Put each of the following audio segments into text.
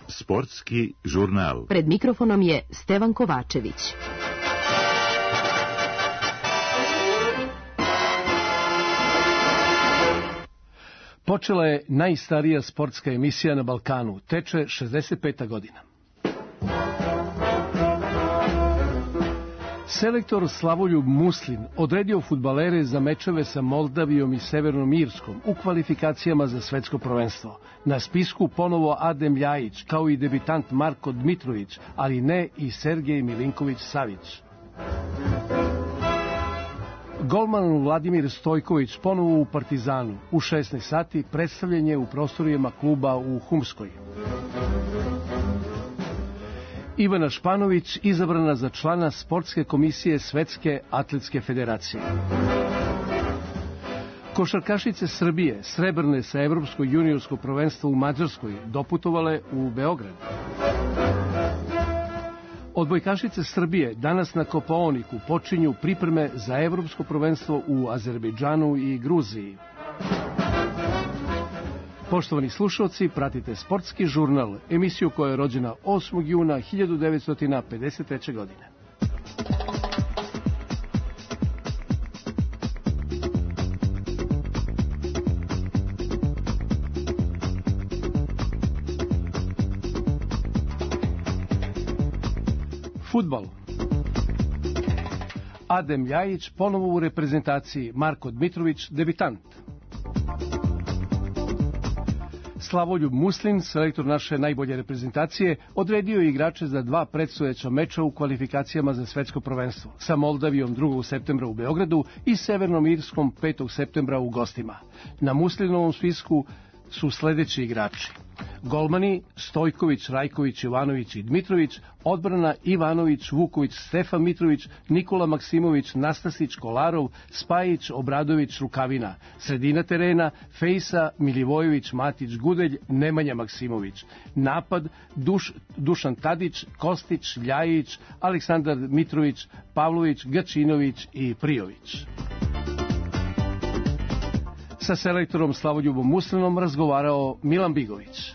Sportski žurnal. Pred mikrofonom je Stevan Kovačević. Počela je najstarija sportska emisija na Balkanu, teče 65. godina. Selektor Slavoljub Muslin odredio fudbalere za mečeve sa Moldavijom i Severnom Irskom u kvalifikacijama za svetsko prvenstvo. Na spisku ponovo Adem Ljajić, kao i debitant Marko Dmitrović, ali ne i Sergej Milinković-Savić. Golman Vladimir Stojković ponovo u Partizanu. U 16 sati predstavljanje u prostorijama kluba u Humskoj. Ivana Španović izabrana za člana sportske komisije Svetske atletske federacije. Košarkašice Srbije, srebrne sa Evropsko juniorsko prvenstvo u Mađarskoj, doputovale u Beograd. Odbojkašice Srbije danas na Kopaoniku počinju pripreme za Evropsko prvenstvo u Azerbejdžanu i Gruziji. Poštovani slušalci, pratite Sportski žurnal, emisiju koja je rođena 8. juna 1953. godine. Fudbal. Adem Ljajić ponovo u reprezentaciji, Marko Dmitrović debitant. Slavoljub Muslin, selektor naše najbolje reprezentacije, odredio je igrače za 2 predstojeća meča u kvalifikacijama za svetsko prvenstvo, sa Moldavijom 2. septembra u Beogradu i Severnom Irskom 5. septembra u gostima. Na Muslinovom spisku su sledeći igrači: golmani Stojković, Rajković, Ivanović i Dmitrović, odbrana Ivanović, Vuković, Stefan Mitrović, Nikola Maksimović, Nastasić, Kolarov, Spajić, Obradović, Rukavina, sredina terena Fejsa, Milivojević, Matić, Gudelj, Nemanja Maksimović, napad Dušan Tadić, Kostić, Ljajić, Aleksandar Mitrović, Pavlović, Gačinović i Prijović. Sa selektorom Slavoljubom Muslinom razgovarao Milan Bigović.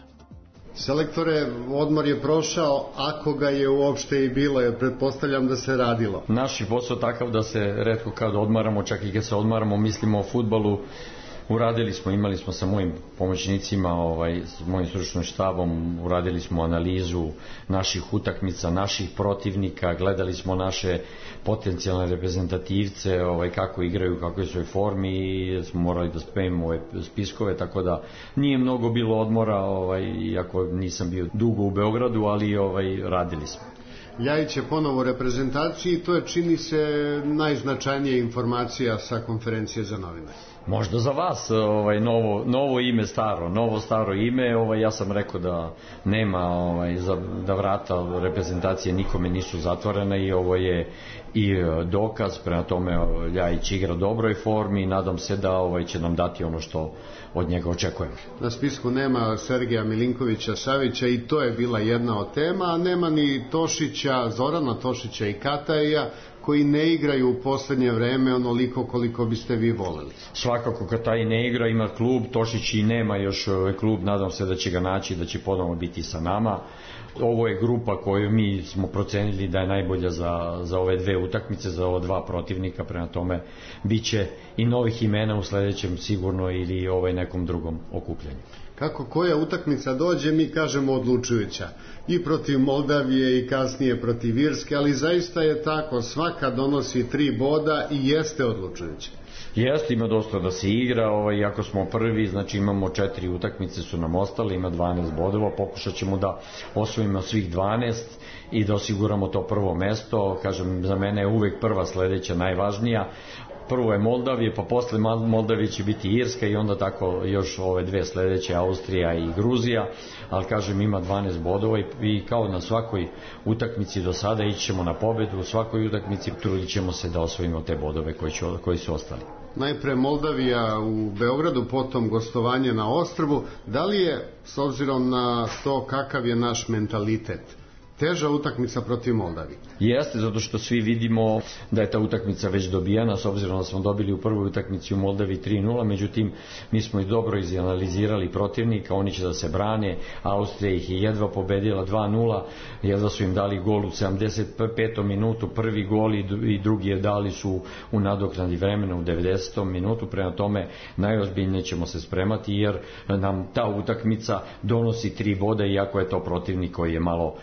Selektore, odmor je prošao, ako ga je uopšte i bilo, jer pretpostavljam da se radilo. Naš je posao takav da se retko kad odmaramo, čak i kad se odmaramo, mislimo o fudbalu. Uradili smo, imali smo sa mojim pomoćnicima, s mojim stručnim štabom, uradili smo analizu naših utakmica, naših protivnika, gledali smo naše potencijalne reprezentativce, kako igraju, kako je svoj formi, i smo morali da spremimo ove spiskove, tako da nije mnogo bilo odmora, iako nisam bio dugo u Beogradu, ali radili smo. Ljajić je ponovo u reprezentaciji i to je, čini se, najznačajnija informacija sa konferencije za novinare. Možda za vas novo ime, staro ime, ja sam rekao da nema, da vrata reprezentacije nikome nisu zatvorena i ovo je i dokaz, prema tome Ljajić igra u dobroj formi i nadam se da će nam dati ono što od njega očekujemo. Na spisku nema Sergeja Milinkovića-Savića i to je bila jedna od tema, a nema ni Tošića, Zorana Tošića i Kataja, koji ne igraju u poslednje vreme onoliko koliko biste vi voleli. Svakako Kataj ne igra, ima klub, Tošić i nema još klub, nadam se da će ga naći, da će ponovno biti sa nama. Ovo je grupa koju mi smo procenili da je najbolja za ove 2 utakmice, za ova 2 protivnika, prema tome biće i novih imena u sledećem sigurno ili nekom drugom okupljanju. Kako koja utakmica dođe, mi kažemo odlučujuća. I protiv Moldavije i kasnije protiv Irske, ali zaista je tako, svaka donosi 3 boda i jeste odlučujuća. Jeste, ima dosta da se igra, iako smo prvi, znači imamo 4 utakmice su nam ostale, ima 12 bodova, pokušat ćemo da osvojimo svih 12 i da osiguramo to prvo mesto. Kažem, za mene je uvek prva sledeća najvažnija. Prvo je Moldavije, pa posle Moldavije će biti Irska i onda tako još ove 2 sledeće, Austrija i Gruzija, ali kažem ima 12 bodova i kao na svakoj utakmici do sada ićemo na pobedu, u svakoj utakmici trudit ćemo se da osvojimo te bodove koji su ostali. Najpre Moldavija u Beogradu, potom gostovanje na Ostrvu. Da li je, s obzirom na to kakav je naš mentalitet, teža utakmica protiv Moldavije. Jeste, zato što svi vidimo da je ta utakmica već dobijena, s obzirom da smo dobili u prvoj utakmici u Moldavi 3-0, međutim mi smo i dobro izanalizirali protivnika, oni će da se brane, Austrija ih je jedva pobedila 2-0, jedva su im dali gol u 75. minutu, prvi gol i drugi je dali su u nadoknadi vremena u 90. minutu, prema tome najozbiljnije ćemo se spremati jer nam ta utakmica donosi 3 boda, iako je to protivnik koji je malo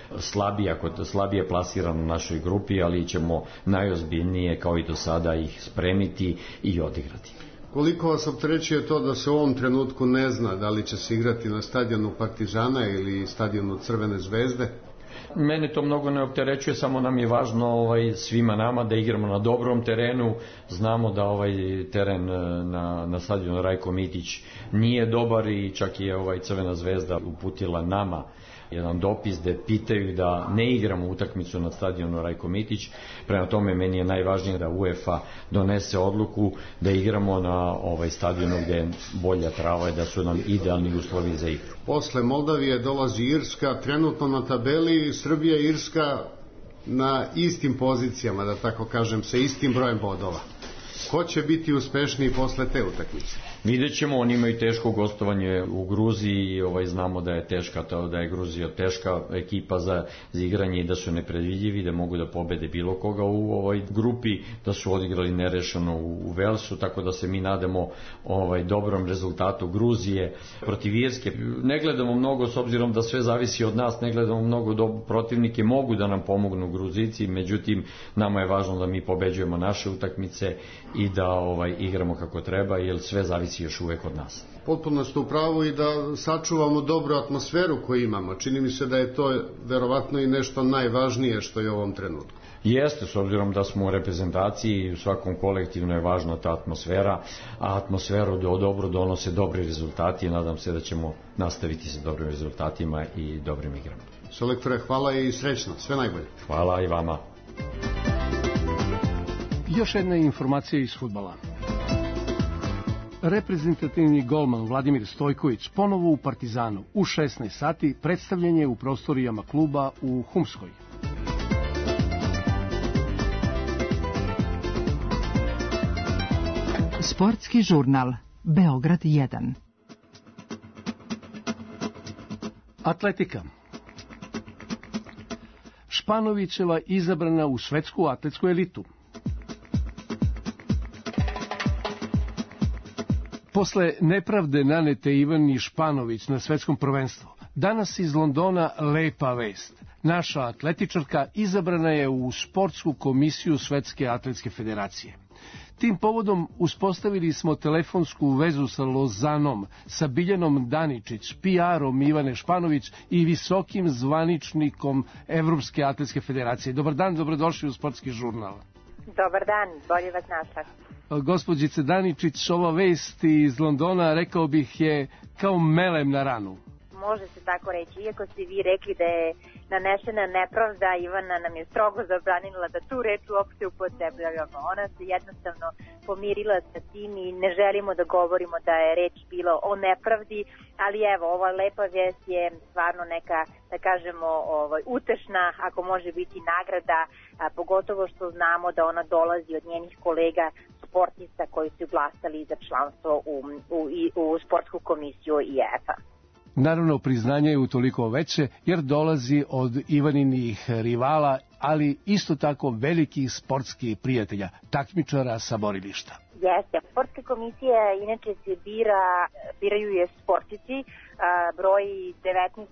slabije plasiran u našoj grupi, ali ćemo najozbiljnije kao i do sada ih spremiti i odigrati. Koliko vas opterećuje to da se u ovom trenutku ne zna da li će se igrati na stadionu Partizana ili stadionu Crvene zvezde? Mene to mnogo ne opterećuje, samo nam je važno svima nama da igramo na dobrom terenu. Znamo da teren na stadionu Rajko Mitić nije dobar i čak je Crvena zvezda uputila nama jedan dopis gde pitaju da ne igramo utakmicu na stadionu Rajko Mitić. Prema tome meni je najvažnije da UEFA donese odluku da igramo na stadionu gde je bolja trava i da su nam idealni uslovi za igru. Posle Moldavije dolazi Irska, trenutno na tabeli Srbija i Irska na istim pozicijama, da tako kažem, sa istim brojem bodova. Ko će biti uspešniji posle te utakmice? Vidjet ćemo, oni imaju teško gostovanje u Gruziji, znamo da je da je Gruzija teška ekipa za igranje i da su nepredvidljivi, da mogu da pobede bilo koga u ovoj grupi, da su odigrali nerešeno u Velsu, tako da se mi nadamo dobrom rezultatu Gruzije protiv Irske. Ne gledamo mnogo, s obzirom da sve zavisi od nas, ne gledamo mnogo protivnike, mogu da nam pomognu Gruzici, međutim nama je važno da mi pobeđujemo naše utakmice i da igramo kako treba, jer sve zavisi još uvek od nas. Potpuno ste u pravu i da sačuvamo dobru atmosferu koju imamo. Čini mi se da je to verovatno i nešto najvažnije što je u ovom trenutku. Jeste, s obzirom da smo u reprezentaciji i u svakom kolektivno je važna ta atmosfera, a atmosferu dobro donose dobri rezultati i nadam se da ćemo nastaviti sa dobrim rezultatima i dobrim igrama. Selektore, hvala i srećno, sve najbolje. Hvala i vama. Još jedna informacija iz fudbala. Reprezentativni golman Vladimir Stojković ponovo u Partizanu u 16 sati predstavljen je u prostorijama kluba u Humskoj. Sportski žurnal Beograd 1. Atletika. Španovićeva izabrana u svetsku atletsku elitu. Posle nepravde nanete Ivani Španović na svetskom prvenstvu, danas iz Londona lepa vest. Naša atletičarka izabrana je u sportsku komisiju Svetske atletske federacije. Tim povodom uspostavili smo telefonsku vezu sa Lozanom, sa Biljanom Daničić, PR-om Ivane Španović i visokim zvaničnikom Evropske atletske federacije. Dobar dan, dobrodošli u Sportski žurnal. Dobar dan, bolje vas našla. Gospođice Daničić, ova vest iz Londona, rekao bih, je kao melem na ranu. Može se tako reći, iako ste vi rekli da je nanešena nepravda, Ivana nam je strogo zabranila da tu reč uopšte upotrebljavamo. Ona se jednostavno pomirila sa tim i ne želimo da govorimo da je reč bilo o nepravdi, ali evo, ova lepa vest je stvarno neka, da kažemo, utešna, ako može biti nagrada, pogotovo što znamo da ona dolazi od njenih kolega sportista koji su glasali za članstvo u sportsku komisiju IAAF-a. Naravno, priznanje je utoliko veće jer dolazi od Ivaninih rivala, ali isto tako velikih sportskih prijatelja, takmičara sa borilišta. Jeste, sportska komisija inače se biraju je sportici, broji 19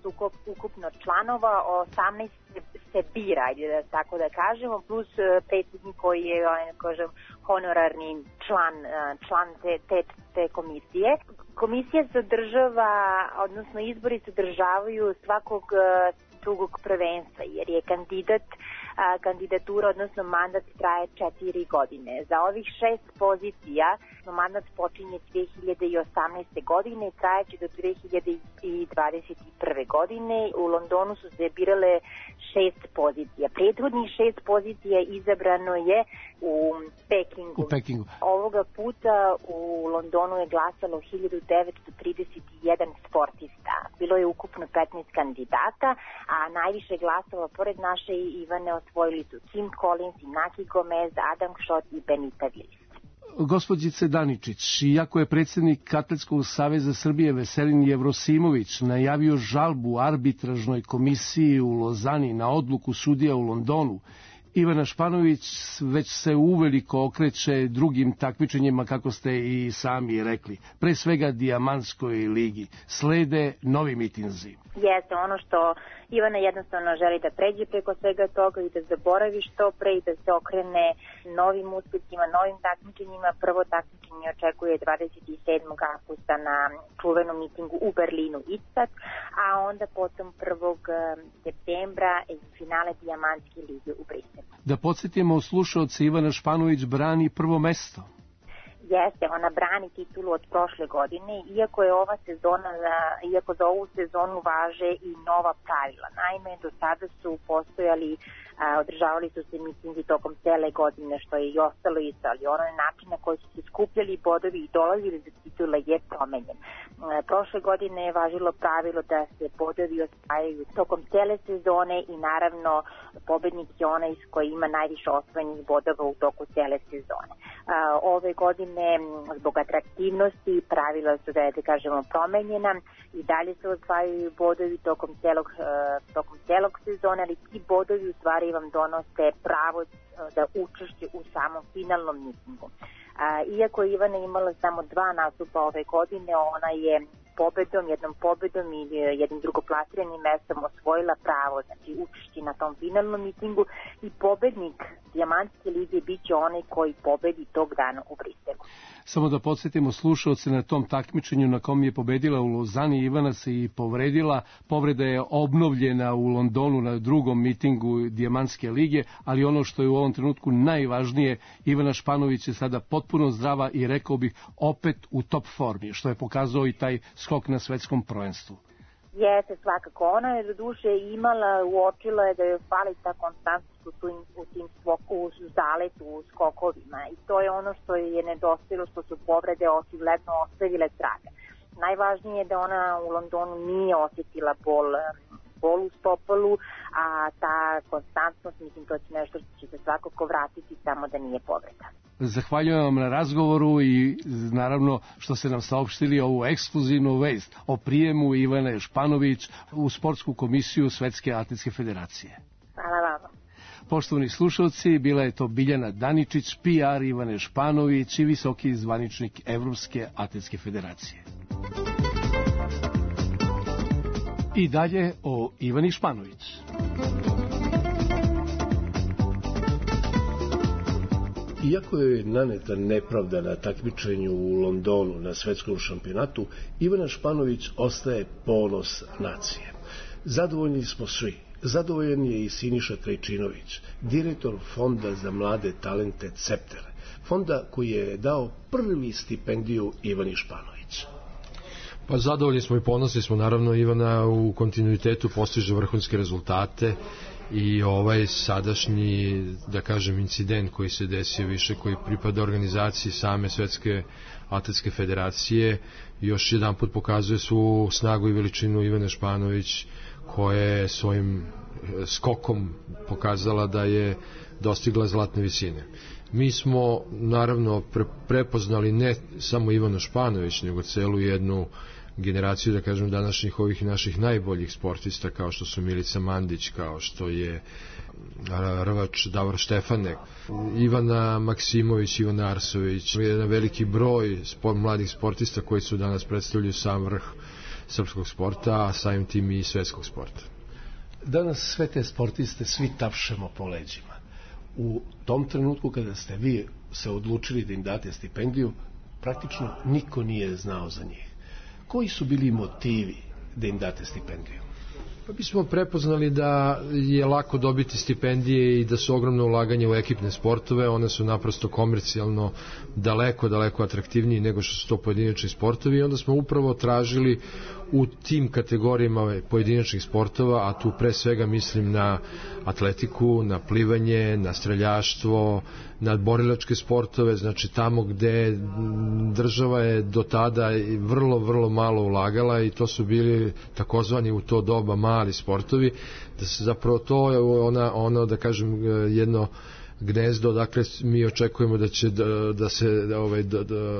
ukupno članova, 18 se bira, da tako da kažemo, plus predsjednik koji je, honorarni član te komisije. Komisija sadržava, odnosno izbori sadržavaju svakog drugog prvenstva, jer je kandidat kandidatura, odnosno mandat traje 4 godine. Za ovih 6 pozicija mandat počinje 2018. godine i trajeće do 2021. godine. U Londonu su se birale 6 pozicija. Prethodnih 6 pozicija izabrano je u Pekingu. Ovoga puta u Londonu je glasalo 1931 sportista. Bilo je ukupno 15 kandidata, a najviše glasova pored naše Ivane osvojili su Kim Collins, Naki Gomez, Adam Schott i Benita Willis. Gospođice Daničić, iako je predsjednik Atletskog saveza Srbije Veselin Jevrosimović najavio žalbu arbitražnoj komisiji u Lozani na odluku sudija u Londonu, Ivana Španović već se uveliko okreće drugim takmičenjima, kako ste i sami rekli, pre svega Dijamantskoj ligi. Slede novi mitinzi. Jeste, ono što Ivana jednostavno želi da pređe preko svega toga i da zaboravi što pre i da se okrene novim uspjecima, novim takmičenjima. Prvo takmičenje očekuje 27. avgusta na čuvenom mitingu u Berlinu Istat, a onda potom 1. septembra i finale Dijamantske lige u Briselu. Da podsjetimo slušaoce, Ivana Španović brani prvo mesto. Jeste, ona brani titulu od prošle godine, iako za ovu sezonu važe i nova pravila. Naime, do sada su postojali, održavali su se mitingi tokom cele godine, što je i ostalo isto, ali onaj način na koji su se skupljali bodovi i dolazili za titule je promenjen. Prošle godine je važilo pravilo da se bodovi osvajaju tokom cele sezone i naravno pobednik je onaj koji ima najviše osvojenih bodova u toku cele sezone. Ove godine, zbog atraktivnosti, pravila su da kažemo promenjena i dalje se osvajaju bodovi tokom celog sezona, ali ti bodovi u stvari vam donose pravo da učešće u samom finalnom mitingu. Iako je Ivana imala samo 2 nastupa ove godine, ona je jednom pobedom i jednim drugoplasiranim mestom osvojila pravo, znači učešće na tom finalnom mitingu, i pobednik Dijamantske lige bit će onaj koji pobedi tog dana u Briselu. Samo da podsjetimo slušaoce, na tom takmičenju na kom je pobedila u Lozani, Ivana se i povredila. Povreda je obnovljena u Londonu na drugom mitingu Dijamantske lige, ali ono što je u ovom trenutku najvažnije, Ivana Španović je sada potpuno zdrava i rekao bih opet u top formi, što je pokazao i taj skok na svetskom prvenstvu. Jeste, svakako. Ona je do duše uočila je da joj fali ta konstantnost u zaletu, u skokovima, i to je ono što je nedostajalo, što su povrede očigledno ostavile traga. Najvažnije je da ona u Londonu nije osjetila bol u stopalu, a ta konstantnost, mislim, to će nešto što će se svakako vratiti, samo da nije povreda. Zahvaljujem vam na razgovoru i naravno što ste nam saopštili ovu ekskluzivnu vest o prijemu Ivane Španović u sportsku komisiju Svetske atletske federacije. Hvala vama. Poštovani slušalci, bila je to Biljana Daničić, PR Ivane Španović i visoki zvaničnik Evropske atletske federacije. I dalje o Ivani Španović. Iako je naneta nepravda na takmičenju u Londonu na svetskom šampionatu, Ivana Španović ostaje ponos nacije. Zadovoljni smo svi. Zadovoljan je i Siniša Krajčinović, direktor Fonda za mlade talente Cepter, fonda koji je dao prvi stipendiju Ivani Španović. Pa zadovoljni smo i ponosni smo, naravno Ivana u kontinuitetu postiže vrhunske rezultate i ovaj sadašnji, da kažem, incident koji se desio više, koji pripada organizaciji same Svetske atletske federacije, još jedan put pokazuje svu snagu i veličinu Ivane Španović, koja je svojim skokom pokazala da je dostigla zlatne visine. Mi smo naravno prepoznali ne samo Ivanu Španović, nego celu jednu generaciju, da kažem, današnjih ovih naših najboljih sportista, kao što su Milica Mandić, kao što je rvač Davor Štefanek, Ivana Maksimović, Ivana Arsović, jedan veliki broj mladih sportista koji su danas predstavljaju sam vrh srpskog sporta, a samim tim i svetskog sporta. Danas sve te sportiste svi tapšemo po leđima. U tom trenutku kada ste vi se odlučili da im date stipendiju, praktično niko nije znao za njih. Koji su bili motivi da im date stipendiju? Pa mi smo prepoznali da je lako dobiti stipendije i da su ogromno ulaganje u ekipne sportove, one su naprosto komercijalno daleko atraktivniji nego što su to pojedinačni sportovi i onda smo upravo tražili u tim kategorijama pojedinačnih sportova, a tu pre svega mislim na atletiku, na plivanje, na streljaštvo, na borilačke sportove, znači tamo gde država je do tada vrlo malo ulagala i to su bili takozvani u to doba mali sportovi, da se zapravo to je ono da kažem jedno gnezdo, dakle mi očekujemo da će da se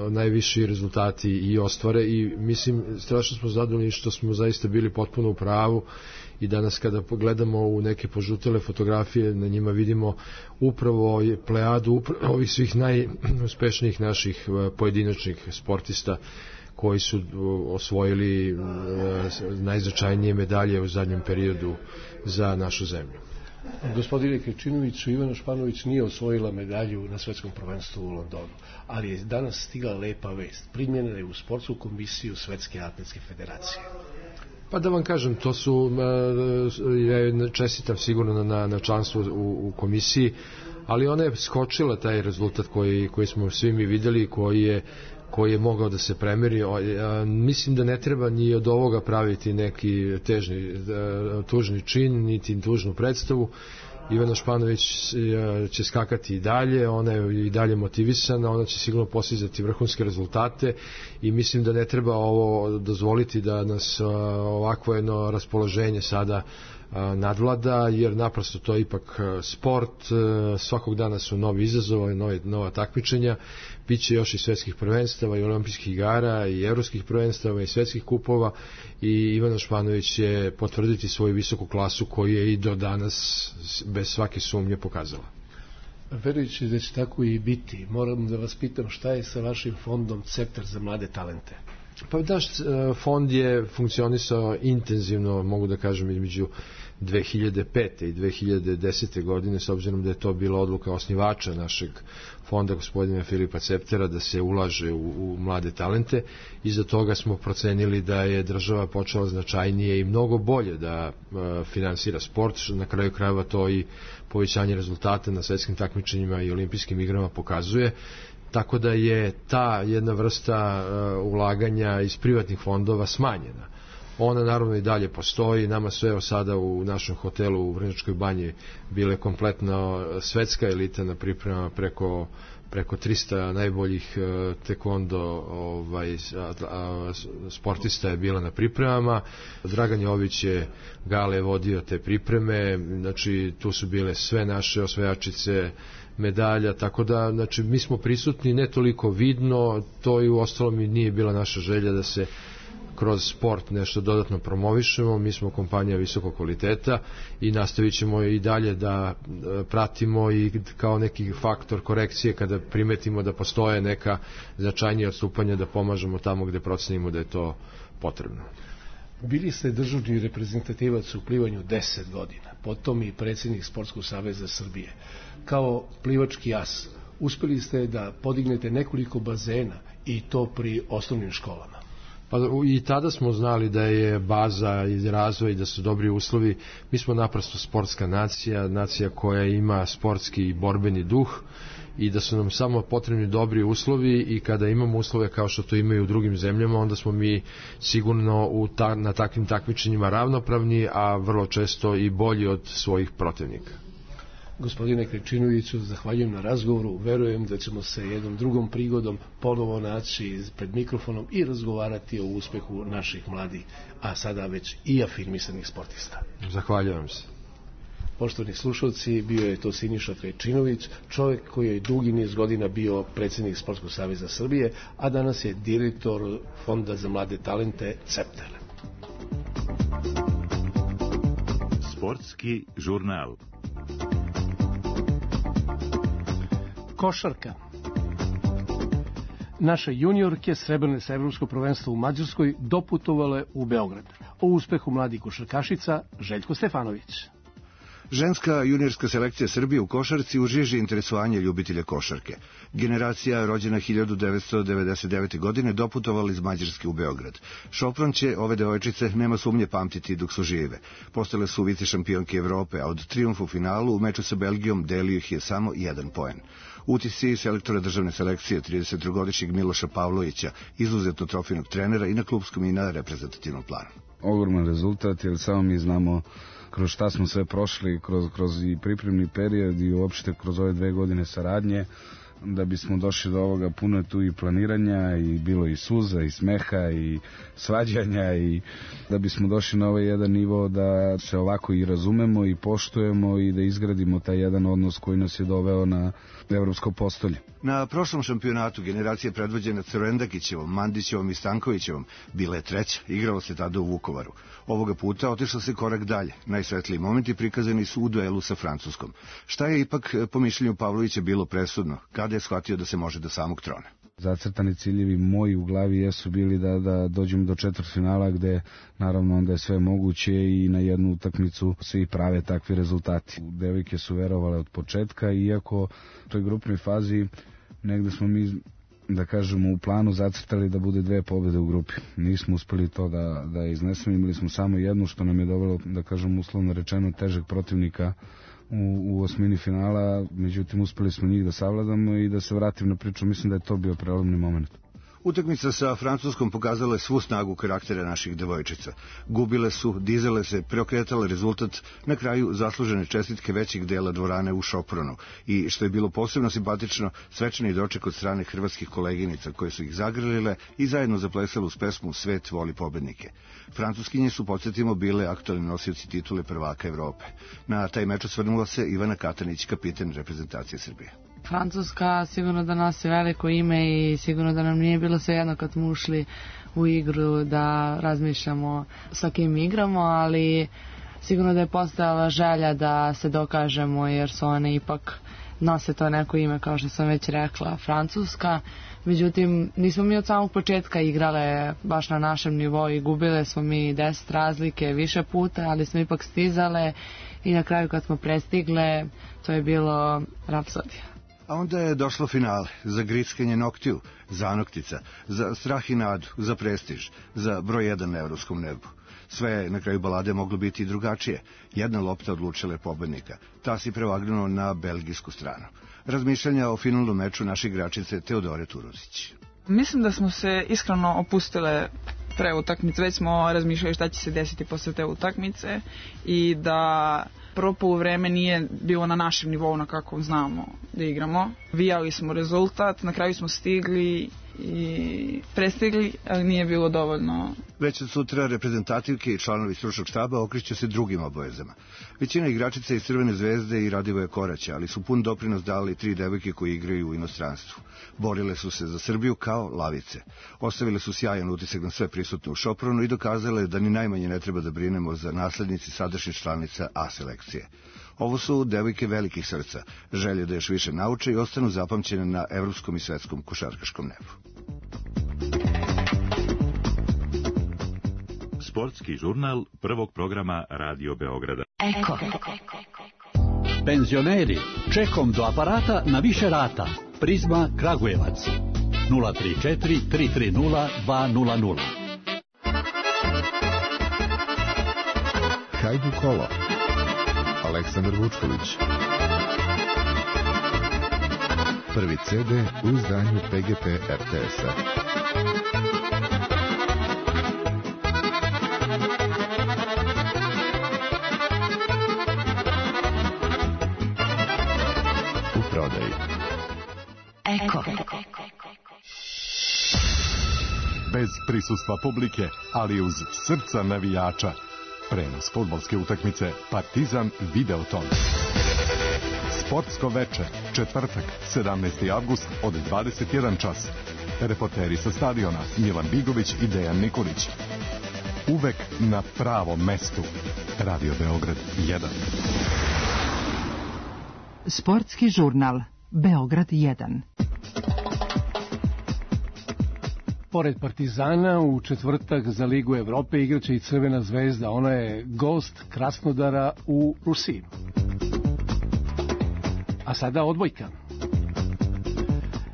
najviši rezultati i ostvare i mislim strašno smo zadovoljni što smo zaista bili potpuno u pravu i danas kada pogledamo u neke požutele fotografije na njima vidimo upravo plejadu ovih svih najuspešnijih naših pojedinačnih sportista koji su osvojili najznačajnije medalje u zadnjem periodu za našu zemlju. Gospodine Krečinoviću, Ivana Španović nije osvojila medalju na svetskom prvenstvu u Londonu, ali je danas stigla lepa vest. Primljena je u sportsku komisiju Svetske atletske federacije. Pa da vam kažem, to su, ja čestitam sigurno na članstvu u komisiji, ali ona je skočila taj rezultat koji smo svi mi videli, koji je mogao da se premeri. Mislim da ne treba ni od ovoga praviti neki tužni čin, niti tužnu predstavu. Ivana Španović će skakati i dalje, ona je i dalje motivisana, ona će sigurno postizati vrhunske rezultate i mislim da ne treba ovo dozvoliti da nas ovakvo jedno raspoloženje sada nadvlada, jer naprosto to je ipak sport, svakog dana su novi izazovi, nova takmičenja, bit će još i svetskih prvenstava i olimpijskih igara i evropskih prvenstava i svetskih kupova i Ivana Španović će potvrditi svoju visoku klasu koju je i do danas bez svake sumnje pokazala. Verujući da će tako i biti, moram da vas pitam šta je sa vašim fondom Ceptar za mlade talente? Pa naš fond je funkcionisao intenzivno, mogu da kažem, između 2005. i 2010. godine, s obzirom da je to bila odluka osnivača našeg fonda, gospodina Filipa Ceptera, da se ulaže u mlade talente. Iza toga smo procenili da je država počela značajnije i mnogo bolje da finansira sport, na kraju krajeva to i povećanje rezultata na svetskim takmičenjima i olimpijskim igrama pokazuje. Tako da je ta jedna vrsta ulaganja iz privatnih fondova smanjena. Ona naravno i dalje postoji, nama su evo sada u našem hotelu u Vrnjačkoj banji bile kompletno svetska elita na pripremama preko 300 najboljih tekvondo sportista je bila na pripremama. Dragan Jović je Gale vodio te pripreme, znači tu su bile sve naše osvajačice medalja, tako da znači, mi smo prisutni ne toliko vidno, to i u ostalom i nije bila naša želja da se kroz sport nešto dodatno promovišemo, mi smo kompanija visokog kvaliteta i nastavit ćemo i dalje da pratimo i kao neki faktor korekcije kada primetimo da postoje neka značajnija odstupanja da pomažemo tamo gde procenimo da je to potrebno. Bili ste državni reprezentativac u plivanju 10 godina, potom i predsjednik Sportskog saveza Srbije. Kao plivački as, uspeli ste da podignete nekoliko bazena i to pri osnovnim školama. Pa i tada smo znali da je baza i razvoj, da su dobri uslovi. Mi smo naprosto sportska nacija koja ima sportski i borbeni duh i da su nam samo potrebni dobri uslovi i kada imamo uslove kao što to imaju u drugim zemljama, onda smo mi sigurno na takvim takmičenjima ravnopravni, a vrlo često i bolji od svojih protivnika. Gospodine Krečinoviću, zahvaljujem na razgovoru, verujem da ćemo se jednom drugom prigodom ponovo naći pred mikrofonom i razgovarati o uspehu naših mladih, a sada već i afirmisanih sportista. Zahvaljujem se. Poštovani slušalci, bio je to Siniša Krečinović, čovjek koji je dugi niz godina bio predsjednik Sportskog saveza Srbije, a danas je direktor Fonda za mlade talente Ceptar. Sportski žurnal. Košarka. Naše juniorke srebrne sa evropsko prvenstvo u Mađarskoj doputovale u Beograd. O uspehu mladih košarkašica Željko Stefanović. Ženska juniorska selekcija Srbije u košarci u žiži interesovanje ljubitelja košarke. Generacija rođena 1999. godine doputovala iz Mađarske u Beograd. Šopron će ove devojčice, nema sumnje, pamtiti dok su žive. Postale su vice šampionke Evrope, a od trijumfa u finalu u meču sa Belgijom delio ih je samo 1 poen. Utisci selektora državne selekcije 33-godišnjeg Miloša Pavlovića, izuzetno trofejnog trenera i na klupskom i na reprezentativnom planu. Ogroman rezultat, jer samo mi znamo kroz šta smo sve prošli, kroz i pripremni period i uopšte kroz ove 2 godine saradnje. Da bismo došli do ovoga, puno je tu i planiranja, i bilo i suza, i smeha, i svađanja, i da bismo došli na ovaj jedan nivo da se ovako i razumemo i poštujemo i da izgradimo taj jedan odnos koji nas je doveo na evropsko postolje. Na prošlom šampionatu generacije predvođena Crvendakićevom, Mandićevom i Stankovićevom bila je 3. Igralo se tada u Vukovaru. Ovoga puta otišlo se korak dalje. Najsvetliji momenti prikazani su u duelu sa Francuskom. Šta je ipak po mišljenju Pavlovića bilo presudno? Kada je shvatio da se može do samog trona? Zacrtani ciljevi moji u glavi jesu bili da dođemo do četvrtfinala, gde naravno onda je sve moguće i na jednu utakmicu se i prave takvi rezultati. Devojke su verovale od početka, iako u toj grupnoj fazi negde smo mi, da kažemo, u planu zacrtali da bude 2 pobjede u grupi. Nismo uspeli to da iznesemo, imali smo samo jednu, što nam je dovelo, da kažem, uslovno rečeno, težeg protivnika u osmini finala, međutim uspeli smo njih da savladamo i da se vratim na priču. Mislim da je to bio prelomni moment. Utakmica sa Francuskom pokazala je svu snagu karaktera naših devojčica. Gubile su, dizale se, preokretale rezultat, na kraju zaslužene čestitke većeg dela dvorane u Šopronu i, što je bilo posebno simpatično, svečani doček od strane hrvatskih koleginica koje su ih zagrlile i zajedno zaplesale uz pesmu Svet voli pobednike. Francuskinje su, podsjetimo, bile aktualni nosioci titule prvaka Evrope. Na taj meč osvrnula se Ivana Katanić, kapiten reprezentacije Srbije. Francuska sigurno da nosi veliko ime i sigurno da nam nije bilo svejedno kad smo ušli u igru da razmišljamo sa kim igramo, ali sigurno da je postojala želja da se dokažemo, jer su one ipak nose to neko ime, kao što sam već rekla, Francuska. Međutim, nismo mi od samog početka igrale baš na našem nivou i gubile smo mi 10 razlike više puta, ali smo ipak stizale i na kraju kad smo prestigle, to je bilo rapsodija. A onda je došlo finale, za grickanje noktiju, zanoktica, za strah i nadu, za prestiž, za broj 1 na evropskom nebu. Sve je na kraju balade moglo biti i drugačije. Jedna lopta odlučila je pobednika. Ta si prevagnuo na belgijsku stranu. Razmišljanja o finalnom meču naše igračice Teodore Turozić. Mislim da smo se iskreno opustile pre utakmice. Već smo razmišljali šta će se desiti posle te utakmice i da prvo poluvreme nije bilo na našem nivou na kakvom znamo da igramo. Vijali smo rezultat, na kraju smo stigli i prestigli, ali nije bilo dovoljno. Već od sutra reprezentativke i članovi stručnog štaba okreću se drugim obavezama. Većina igračica iz Crvene zvezde i Radivoja Koraća, ali su pun doprinos dali 3 devojke koji igraju u inostranstvu. Borile su se za Srbiju kao lavice. Ostavile su sjajan utisak na sve prisutne u Šopronu i dokazale da ni najmanje ne treba da brinemo za naslednici sadašnjih članica A selekcije. Ovo su devojke velikih srca, želje da još više nauče i ostanu zapamćene na evropskom i svetskom košarkaškom nebu. Sportski žurnal prvog programa Radio Beograda. Eko. Penzioneri, čekom do aparata na više rata. Prizma Kragujevac. 034 330 200. Hajdu kolo. Aleksandar Vučković. Prvi CD u izdanju PGP RTS-a. U prodaji. Eko. Bez prisustva publike, ali uz srca navijača. Prenos fudbalske utakmice Partizan Videoton. Sportsko veče, četvrtak, 17. avgust od 21 čas. Reporteri sa stadiona Milan Bigović i Dejan Nikolić. Uvek na pravom mestu. Radio Beograd 1. Sportski žurnal Beograd 1. Pored Partizana, u četvrtak za Ligu Evrope igraće i Crvena zvezda. Ona je gost Krasnodara u Rusiji. A sada odbojka.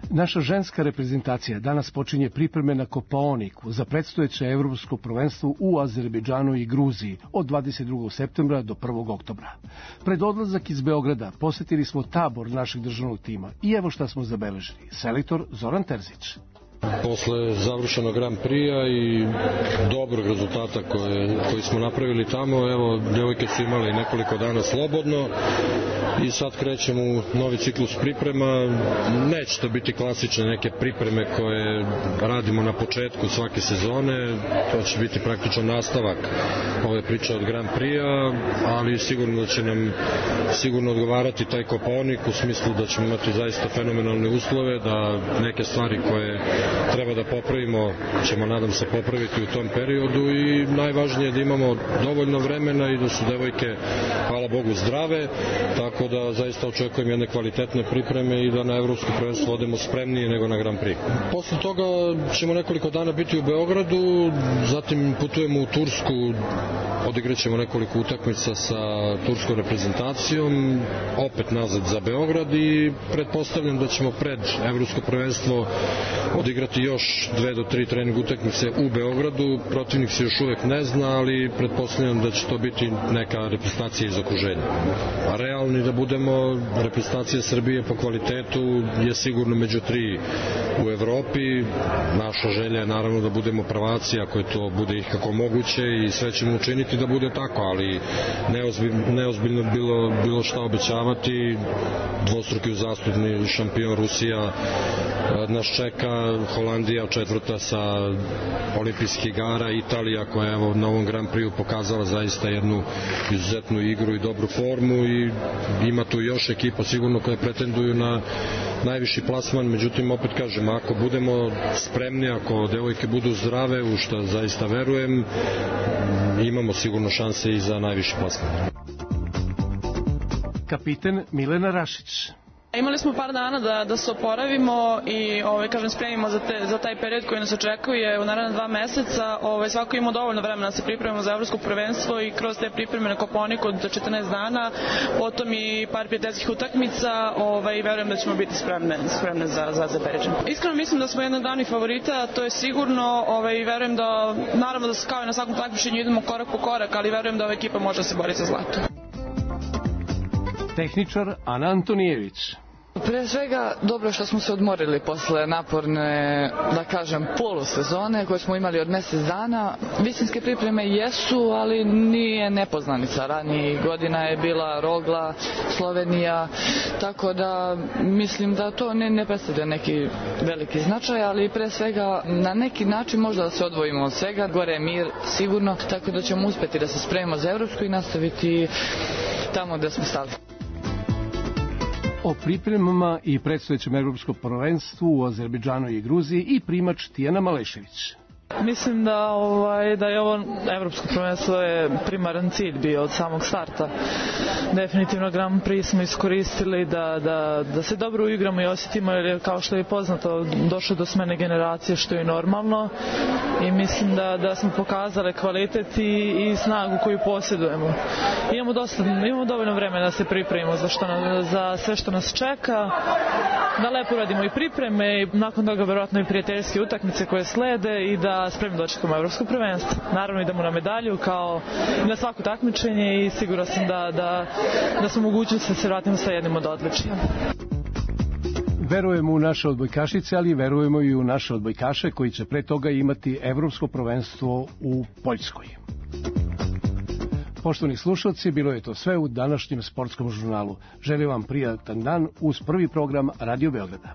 Naša ženska reprezentacija danas počinje pripreme na Kopaoniku za predstojeće evropsko prvenstvo u Azerbejdžanu i Gruziji od 22. septembra do 1. oktobra. Pred odlazak iz Beograda posetili smo tabor našeg državnog tima i evo šta smo zabeležili. Selektor Zoran Terzić. Posle završenog Grand Prix-a i dobrog rezultata koji smo napravili tamo, evo, devojke su imali nekoliko dana slobodno i sad krećemo u novi ciklus priprema. Neće to biti klasične neke pripreme koje radimo na početku svake sezone, to će biti praktično nastavak ove priče od Grand Prix-a, ali sigurno da će nam odgovarati taj Kopaonik u smislu da ćemo imati zaista fenomenalne uslove, da neke stvari koje treba da popravimo ćemo, nadam se, popraviti u tom periodu i najvažnije je da imamo dovoljno vremena i da su devojke, hvala Bogu, zdrave, tako da zaista očekujem jedne kvalitetne pripreme i da na evropsko prvenstvo odemo spremnije nego na Grand Prix. Posle toga ćemo nekoliko dana biti u Beogradu, zatim putujemo u Tursku, odigraćemo nekoliko utakmica sa turskom reprezentacijom, opet nazad za Beograd i pretpostavljam da ćemo pred evropsko prvenstvo odigrati još 2 do 3 trening utakmice u Beogradu. Protivnik se još uvek ne zna, ali pretpostavljam da će to biti neka reprezentacija iz okruženja. A realni da budemo, reprezentacija Srbije po kvalitetu je sigurno među 3 u Evropi. Naša želja je naravno da budemo prvaci, ako je to bude ikako moguće, i sve ćemo učiniti da bude tako, ali neozbiljno bilo šta obećavati. Dvostruki uzastopni šampion Rusija nas čeka, Holandija četvrta sa olimpijskih igara, Italija koja je evo na ovom Grand Prix pokazala zaista jednu izuzetnu igru i dobru formu i ima tu još ekipa sigurno koje pretenduju na najviši plasman, međutim opet kažem, ako budemo spremni, ako devojke budu zdrave, u što zaista verujem, imamo sigurno šanse i za najviši plasman. Kapiten Milena Rašić. Imali smo par dana da se oporavimo i spremimo za taj period koji nas očekuje u naredna 2 meseca. Svako ima dovoljno vremena da se pripremimo za evropsko prvenstvo i kroz te pripreme na Kopaoniku od 14 dana, potom i par prijateljskih utakmica i verujem da ćemo biti spremne za Azerbejdžan. Iskreno mislim da smo jedan od glavnih favorita, to je sigurno, i verujem da, naravno da kao i na svakom takmičenju idemo korak po korak, ali verujem da ova ekipa može da se bori za zlato. Tehničar Ana Antonijević. Pre svega, dobro što smo se odmorili posle naporne, da kažem, polusezone koje smo imali od mesec dana. Visinske pripreme jesu, ali nije nepoznanica. Ranijih godina je bila Rogla, Slovenija, tako da mislim da to ne predstavlja neki veliki značaj, ali pre svega na neki način možda da se odvojimo od svega. Gore je mir, sigurno, tako da ćemo uspeti da se spremimo za evropsko i nastaviti tamo gde smo stali. O pripremama i predstojećem evropskom prvenstvu u Azerbejdžanu i Gruziji i primač Tijana Malešević. Mislim da je ovo evropsko prvenstvo je primaran cilj bio od samog starta. Definitivno Grand Prix smo iskoristili da se dobro uigramo i osjetimo, jer kao što je poznato došlo do smene generacije, što je normalno, i mislim da smo pokazali kvalitet i snagu koju posjedujemo. Imamo dovoljno vremena da se pripremimo za sve što nas čeka, da lepo radimo i pripreme i nakon toga verovatno i prijateljske utakmice koje slede i da spremno dočekamo evropsko prvenstvo. Naravno idemo na medalju kao i na svako takmičenje i siguran sam da smo mogućnosti da se vratimo sa jednim od odličija. Verujemo u naše odbojkašice, ali verujemo i u naše odbojkaše koji će pre toga imati evropsko prvenstvo u Poljskoj. Poštovani slušalci, bilo je to sve u današnjem sportskom žurnalu. Želim vam prijatan dan uz prvi program Radio Beograda.